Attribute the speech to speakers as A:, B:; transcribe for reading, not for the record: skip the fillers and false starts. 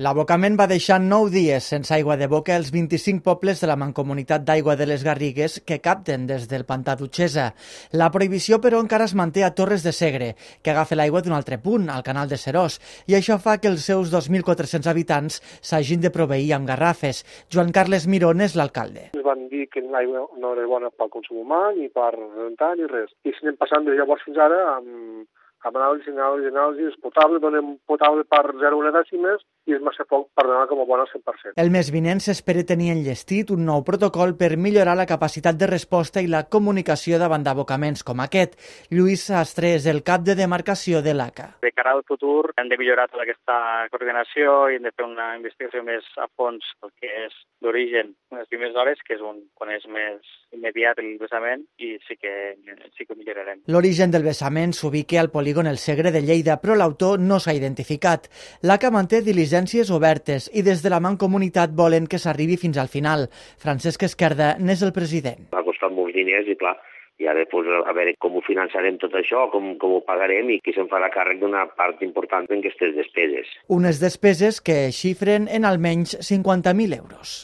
A: L'abocament va deixar 9 dies sense aigua de boca als 25 pobles de la Mancomunitat d'Aigua de les Garrigues que capten des del pantà d'Utxesa. La prohibició, però, encara es manté a Torres de Segre, que agafa l'aigua d'un altre punt, al canal de Serós, i això fa que els seus 2.400 habitants s'hagin de proveir amb garrafes. Joan Carles Mirón és l'alcalde.
B: Ens van dir que l'aigua no era bona pel consum humà, ni per rentar, ni res. I s'anem passant de llavors fins ara amb anàlisi, és potable, donem potable per 0,1 dècimes i és massa poc per donar com a bona al 100%.
A: El mes vinent s'espera tenir enllestit un nou protocol per millorar la capacitat de resposta i la comunicació davant d'abocaments com aquest. Lluís Sastre és el cap de demarcació de l'ACA.
C: De cara al futur hem de millorar tota aquesta coordinació i hem de fer una investigació més a fons pel que és l'origen en les primeres hores, que és quan és més immediat el vessament, i sí que ho millorarem.
A: L'origen del vessament s'ubica al polígon El Segre de Lleida, però l'autor no s'ha identificat. L'ACA manté diligències obertes i des de la Mancomunitat volen que s'arribi fins al final. Francesc Esquerda n'és el president.
D: Ha costat molts diners i, clar, i ara a veure com ho finançarem tot això, com ho pagarem i qui se'n farà càrrec d'una part important en aquestes despeses.
A: Unes despeses que xifren en almenys 50.000 euros.